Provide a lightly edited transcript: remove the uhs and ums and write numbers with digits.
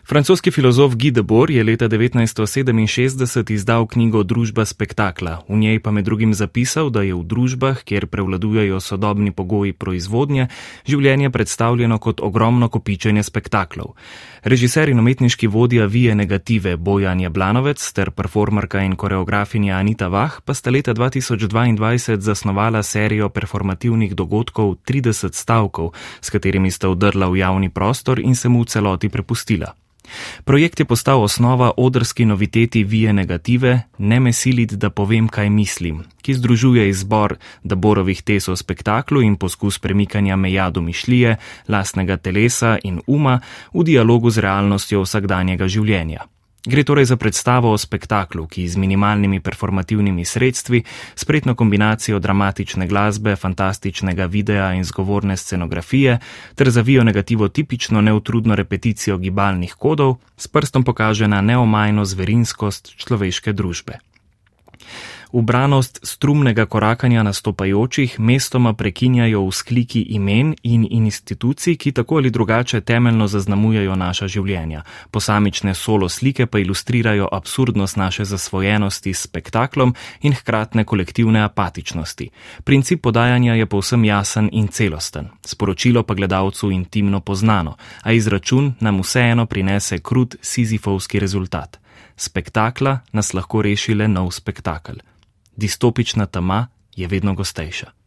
Francoski filozof Guy Debord je leta 1967 izdal knjigo Družba spektakla. V njej pa med drugim zapisal, da je v družbah, kjer prevladujejo sodobni pogoji proizvodnje, življenje predstavljeno kot ogromno kopičenje spektaklov. Režiser in umetniški vodja Vije negative Bojan Jablanovec ter performerka in koreografinja Anita Vah pa sta leta 2022 zasnovala serijo performativnih dogodkov 30 stavkov, s katerimi sta vdrla v javni prostor in se mu v celoti prepustila. Projekt je postal osnova odrski noviteti Vije negative Ne me silit, da povem, kaj mislim, ki združuje izbor Deborovih tez o spektaklu in poskus premikanja meja domišljije, lastnega telesa in uma v dialogu z realnostjo vsakdanjega življenja. Gre torej za predstavo o spektaklu, ki z minimalnimi performativnimi sredstvi, spretno kombinacijo dramatične glasbe, fantastičnega videa in zgovorne scenografije ter za Vijo negativo tipično neutrudno repeticijo gibalnih kodov, s prstom pokaže na neomajno zverinskost človeške družbe. Ubranost strumnega korakanja nastopajočih mestoma prekinjajo vzkliki imen in institucij, ki tako ali drugače temeljno zaznamujejo naša življenja. Posamične solo slike pa ilustrirajo absurdnost naše zasvojenosti s spektaklom in hkratne kolektivne apatičnosti. Princip podajanja je povsem jasen in celosten, sporočilo pa gledalcu intimno poznano, a izračun nam vseeno prinese krut sizifovski rezultat. Spektakla nas lahko reši le nov spektakel. Distopična tema je vedno gostejša.